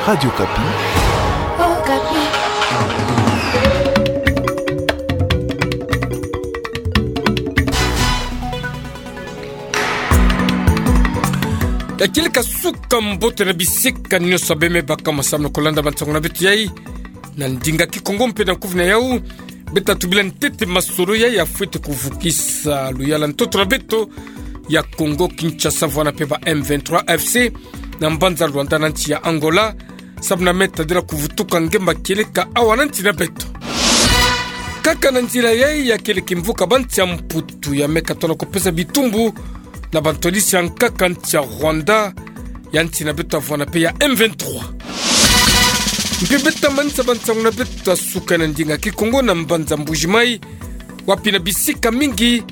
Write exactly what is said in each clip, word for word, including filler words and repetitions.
Radio Okapi. Okapi. Ya kieleka suka mbote na bisika nyonso beme baka masamu na kolanda bansangu na beto yai na ndinga Kikongo mpe na kufi na yau. Beta tubila ntete masolo yai ya fwete kuvukisa luyala ntoto na beto ya Congo Kinshasa vwana mpe ba M vingt-trois A F C na mbanza Luanda na nsi ya Angola, samu na me tadila kuvutuka ngemba kieleka awa na nsi na beto. Kaka na nzila yai ya kieleka kimvuka ba nsi ya Mputu ya me katona kupesa bitumbu na bantwadisi ya nkaka nsi ya Rwanda ya nsi na beto ya vwana mpe ya M vingt-trois. Mpe beta manisa bansangu na beto ya suka na ndinga Kikongo na mbanza Mbuji-Mayi, wapi na bisika mingi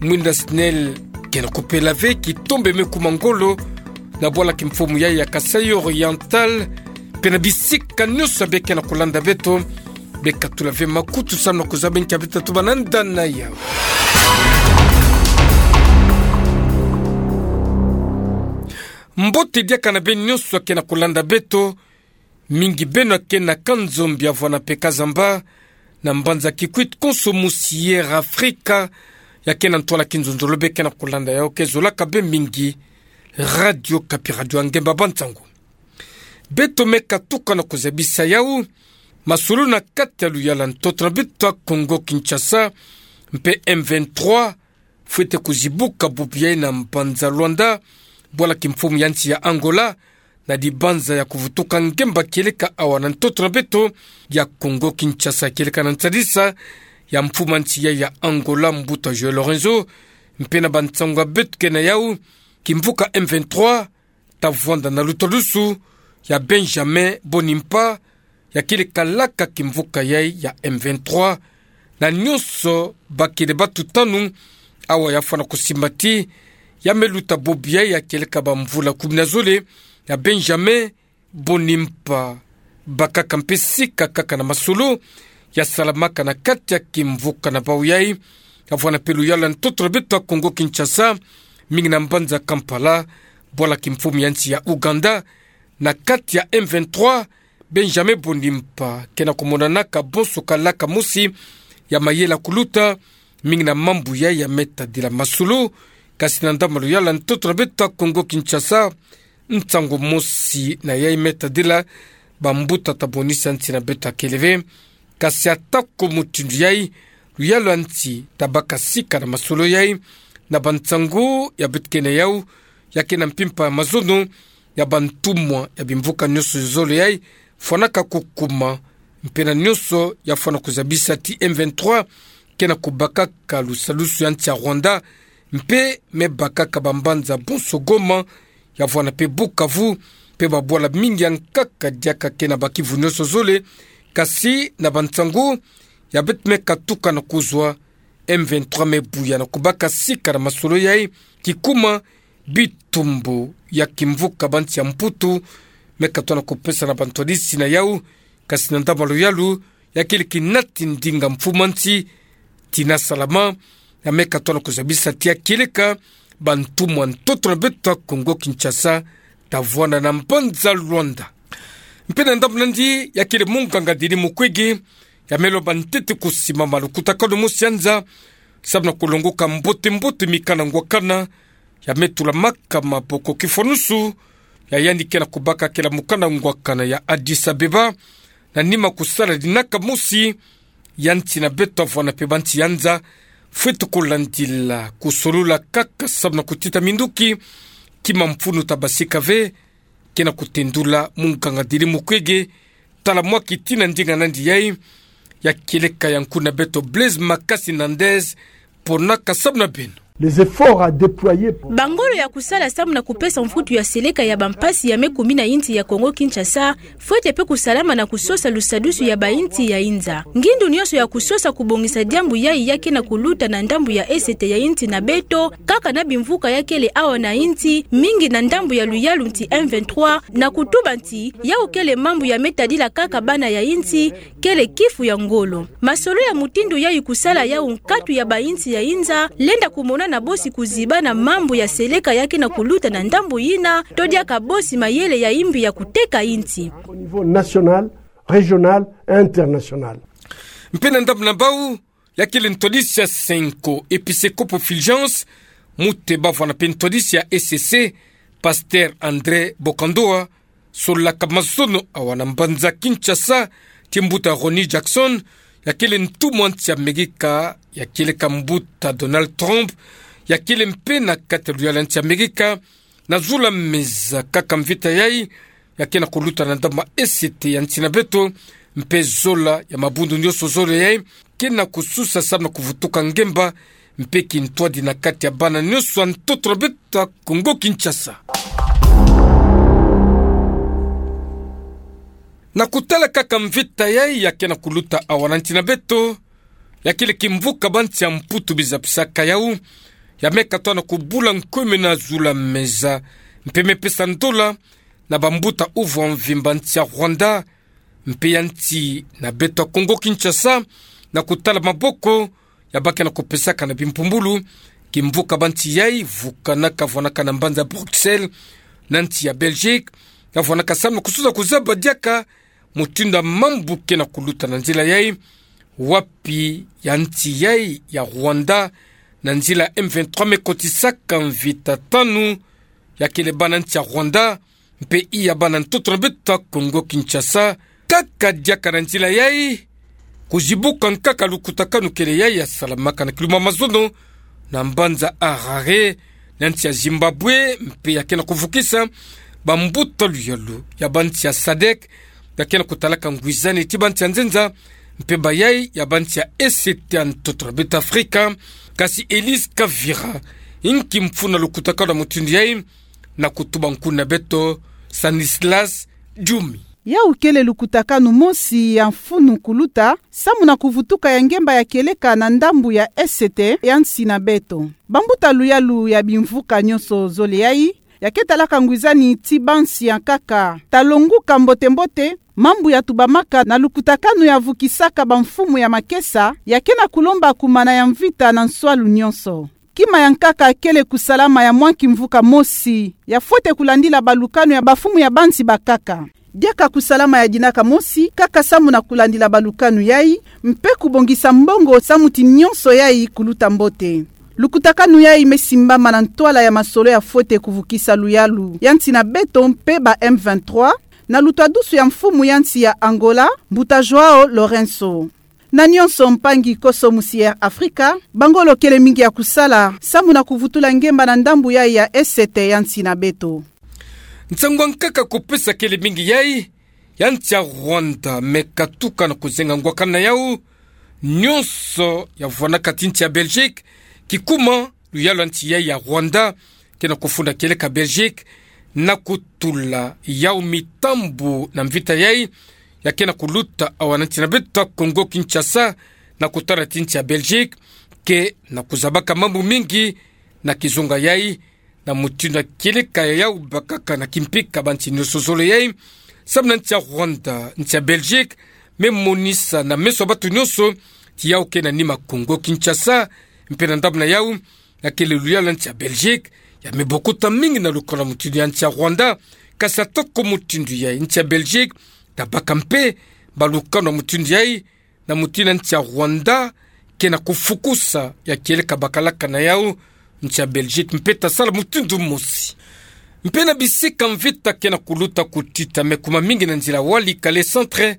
mwinda SNEL kena kupela ve kitombe me kuma ngolo na bwala kimfumu yai ya Kasaï Oriental, mpe na bisika nyonso beke na kolanda beto, beka tula ve makutu samu na kuzaba nkia beta tuba na ndana yau. Mbote diaka na beno nyonso kena kolanda beto, mingi beno kena Kanzombi ya vwana mpe Kazamba, na mbanza Kikwit konso musi Air Africa ya kena ntwala kinzonzolo beke na kolanda yau, ke zolaka be mingi Radio Okapi, radio ya ngemba bansangu. Beto me katuka na kuzabisa yau masolo na kati ya luyala ntoto na beto ya Congo Kinshasa, mpe M vingt-trois fwete kuzibuka bubu yai na mbanza Luanda, bwala kimfumu ya nsi ya Angola, na dibanza ya kuvutuka ngemba kieleka awa na ntoto na beto ya Congo Kinshasa, kieleka na nsadisa ya mfumu a nsi yai ya Angola, Mbuta João Lourenço, mpe na bansangu ya beto kena yau, kimvuka M vingt-trois ta vwanda na lutadusu ya Benjamin Mbonimpa, ya kieleka laka kimvuka yai ya M vingt-trois, na nyonso bakele batutanu awa ya fwana kusimbati ya me luta bubu yai ya kieleka ba mvula kumi na zole ya Benjamin Mbonimpa. Bakaka mpe sika kaka na masolo ya salamaka na kati ya kimvuka na bau yai, ya vwana mpe luyala ntoto na beto ya Congo Kinshasa, mingi na mbanza Kampala, bwala kimfumu ya nsi ya Ouganda, na kati ya M vingt-trois, Benjamin Mbonimpa kena kumonanaka bonso kalaka mosi ya mayela kuluta, mingi na mambu yai ya me tadila masolo, kasi na ndambu ya luyala ntoto na beto ya Congo Kinshasa, nsangu mosi na yai me tadila bambuta ta bonisa nsi na beto kele ve. Kasi atako mutindu yai, luyala nsi tabaka sika na masolo yai, na bansangu ya beto kena yau, ya kena mpimpa ya mazono ya bantumwa ya bimvuka nyonso zole yai fwanaka kukuma, mpe na nyonso ya fwana kuzabisa ti M vingt-trois kena kubakaka lusadusu ya nsi ya Rwanda, mpe me bakaka bambanza bonso Goma, ya vwana mpe Bukavu, mpe babwala mingi ya nkaka diaka kena ba kivu nyonso zole, kasi na bansangu ya beto me katuka na kuzwa, M vingt-trois me buya na kubaka sika na masolo yai, kikuma bitumbu ya kimvuka ba nsi ya Mputu me katona kupesa na bantwadisi na yau, kasi na ndambu ya luyalu ya kieleka nati ndinga mfumu a nsi, Tina Salama, ya me katona kuzabisa ti ya kieleka bantumwa ntoto na beto ya Congo Kinshasa ta vwanda na mbanza Luanda. Mpe na ndambu nandi ya kele munganga Denis Mukwege, ya me lomba ntete kusimama lukutakanu mosi ya nza, samu na kulongoka mbote mbote mikanda ngwakana ya me tulamaka maboko kifwanusu ya yandi kena kubaka kela mukanda ngwakana ya Addis Abeba, na nima kusala dinaka mosi ya nsi na beto ya vwana mpe ba nsi ya nza fwete kulandila, kusolula kaka samu na kutita minduki, kima mfunu ta basika ve, kena kutendula munganga Denis Mukwege. Tala mwa kitina ndinga nandi yai, ya kieleka ya nkuna beto Blaise Makasi Nandez, ponaka samu na beno. Les efforts à déployer pour... Bangolo ya kusala samu na kupesa mvutu ya seleka ya bampasi ya me kumina insi ya Congo Kinshasa, fwete mpe kusalama na kusosa lusadusu ya bainsi ya inza. Ngindu nyonso ya kusosa kubongisa diambu yai ya kena kuluta na ndambu ya est ya insi na beto, kaka na bimvuka ya kele awa na insi, mingi na ndambu ya luyalu nsi M vingt-trois, na kutuba nsi, yau kele mambu ya me tadila kaka bana ya insi, kele kifu ya ngolo. Masolo ya mutindu yai kusala yau nkatu ya bainsi ya inza, lenda kumona Na bosi kuziba na mambu ya seleka ya ke na kuluta na ndambu yina, to diaka bosi mayele ya imbi ya kuteka insi. Au niveau national, régional et international. Mpe na ndambu na bau, ya kele ntwadisi ya Cenco Episcopo Fulgence, mute bavwana mpe ntwadisi ya E C C, Pasteur André Bokandoa, solaka mazono awa na mbanza Kinshasa, ti mbuta Ronnie Jackson, ya kele ntumwa nsi ya Amerika, ya kieleka mbuta Donald Trump, ya kele mpe na kati ya luyalu ya nsi ya Amerika, na zola meza kaka mvita yai, ya ke na kuluta na ndambu ma E C T ya nsi na beto, mpe zola ya mabundu nyonso zole yai, ke na kususa samu na kuvutuka ngemba, mpe kintwadi na kati ya bana nyonso ya ntoto na beto ya Kongo Kinshasa. Na kutala kaka mvita yai ya ke na kuluta awa na nsi na beto, ya kele kimvuka ba nsi ya Mputu bizapisaka yau, ya me katoa na kubula nkumuna zola meza, mpe me pesa ndola, na bambuta uvu wa mvimba nsi ya Rwanda, mpe ya nsi na beto ya Kongo Kinshasa, na kutala maboko, ya ba ke na kupesaka na bimpumbulu, kimvuka ba nsi yai, vukanaka vwanaka na mbanza Bruxelles, na nsi ya Belgique, ya vwanaka samu na kususa kuzaba diaka, mutindu ya mambu ke na kuluta na nzila yai, wapi ya nsi yai ya Rwanda, na nzila M vingt-trois me kotisaka mvita tanu, ya kele bana nsi ya Rwanda, mpe iya bana ntoto na beto ya Kongo Kinshasa, kaka diaka na nzila yai, kuzibuka nkaka lukutakanu kele yai ya salamaka na kilumbu ya mazono, na mbanza Harare, na nsi ya Zimbabwe, mpe ya ke na kuvukisa, bambuta luyalu, ya ba nsi ya sadek, ya ke na kutalaka ngwizani ti ba nsi ya nzenza, mpe bayai, ya ba nsi ya E C T ya ntoto na beto Afrika, kasi Elise Kavira, inki mfunu na lukutakanu ya mutindu yai, na kutuba nkuna beto, Stanislas Djumi. Yau kele lukutakanu mosi ya mfunu kuluta, samu na kuvutuka ya ngemba ya kieleka na ndambu ya E C T ya nsi na beto. Bambuta luyalu ya bimvuka nyonso zole yai, ya ke talaka ngwizani ti ba nsi ya nkaka. Talonguka mbote-mbote, mambu ya tubamaka na lukutakanu ya vukisaka bamfumu ya makesa, ya ke na kulomba kumana ya mvita na nswalu nyonso. Kima ya nkaka kele kusalama ya mwa kimvuka mosi, ya fwete kulandila balukanu ya bamfumu ya ba nsi bakaka. Diaka kusalama ya dinaka mosi, kaka samu na kulandila balukanu yai, mpe kubongisa mbongo samu ti nyonso yai kuluta mbote. Lukutakanu yai me simbama na ntwala ya masolo ya fwete kuvukisa luyalu ya nsi na beto mpe ba M vingt-trois, na lutwadusu ya mfumu ya nsi ya Angola, mbuta João Lourenço. Na nyonso mpangi koso musi Air Afrika, ba ngolo kele mingi ya kusala, samu na kuvutula ngemba na ndambu yai ya E C T ya nsi na beto. Nsangu ya nkaka kupesa kele mingi yai, ya nsi ya Rwanda me katuka na kuzenga ngwakana yau, nyonso ya vwanaka ti nsi ya Belgique, kikuma luyalu ya nsi yai ya Rwanda, ke na kufunda kieleka Belgique, na kutula yau mitambu na mvita yai, ya ke na kuluta awa na nsi na beto ya Congo Kinshasa, na kutala ti nsi ya Belgique, ke na kuzabaka mambu mingi, na kizunga yai, na mutindu ya kieleka ya yau bakaka na kimpika ba nsi nyonso zole yai, samu na nsi ya Rwanda, nsi ya Belgique, me monisa na meso ya bato nyonso, ti yau ke na nima Congo Kinshasa, mpe na ndambu na yau, ya kele luyalu ya nsi ya Belgique, ya me bokota mingi na lukanu ya mutindu ya nsi ya Rwanda, kasi atako mutindu yai nsi ya Belgique, tabaka mpe, balukanu ya mutindu yai, na mutindu ya nsi ya Rwanda, ke na kufukusa, ya kieleka bakalaka na yau, nsi ya Belgique, mpe tasala mutindu mosi. Mpe na bisika mvita ke na kuluta kutita me kuma mingi na nzila Walikale centre,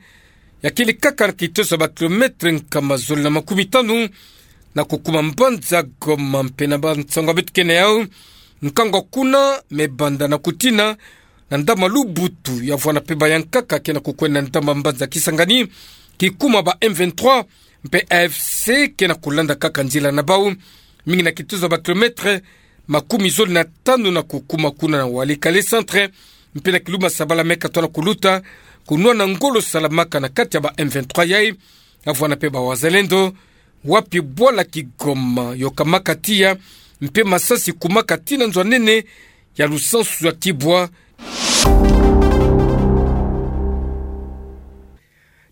ya kele kaka na kitoso ya ba kilomètre nkama zole na makumi tanu, na kukuma mbanza Goma mpe na bansangu ya beto ke na yau, nkangu kuna me banda na kutina, na ndambu ya Lubutu, ya vwana mpe ba ya nkaka ke na kukwenda na ndambu ya mbanza Kisangani, kikuma ba M vingt-trois, mpe A F C ke na kulanda kaka nzila na bau, mingi na kitoso ya ba kilomètre, makumi zole na tanu na kukuma kuna na Walikale centre, mpe na kilumbu ya Sabala me katoa na kuluta, kunwana ngolo salamaka na kati ya ba M vingt-trois yai, ya vwana mpe ba Wazalendo, wapi bwala Kigoma yokamaka tiya, mpe masasi kumaka tii na nzo ya nene ya Lusansu ya Kibwa.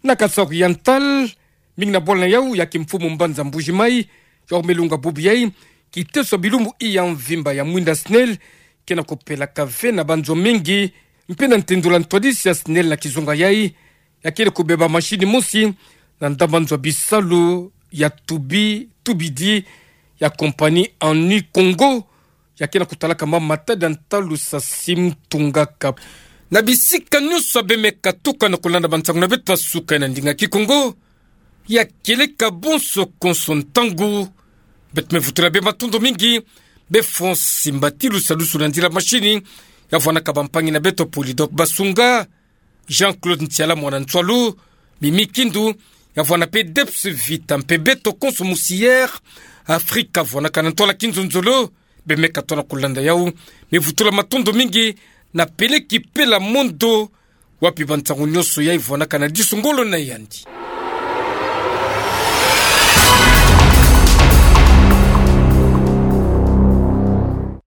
Na Kasaï Oriental, mingi na bwala na yau ya kimfumu mbanza Mbuji-Mayi, yau me lunga bubu yai, Kiteso bilumbu iya mvimba ya mwinda SNEL kena kupelaka ve na banzo mingi, mpe na ntendula ntwadisi ya SNEL na kizunga yayi, ya kele kubeba mashini mosi na ndambanzo bisalu ya tubi tubidi ya compagnie Annie Congo, ya kena kutalaka mama matadi ya ntalu sa sim tungaka. Na bisika nyonso bemeka tuka na kulanda bansangu na beto ya suka na ndinga Kikongo, ya keleka bonso konso ntangu, beto mevutula be matondo mingi, be Francis Mbatilu salusu na nzila mashini, ya vwanaka bampangi na beto Polydor Basunga, Jean-Claude Ntiala mwana Ntsoalo, Mimi Kindu, ya vwana pe Debs Vita mpe beto konso musi Air Afrika vwanaka na ntwala kinzonzolo, bemeka tona kulanda yau, mevutula matondo mingi na Peleki Pela Mondo, wapi bansangu nyonso yayi vwanaka na disu ngolo na yandi.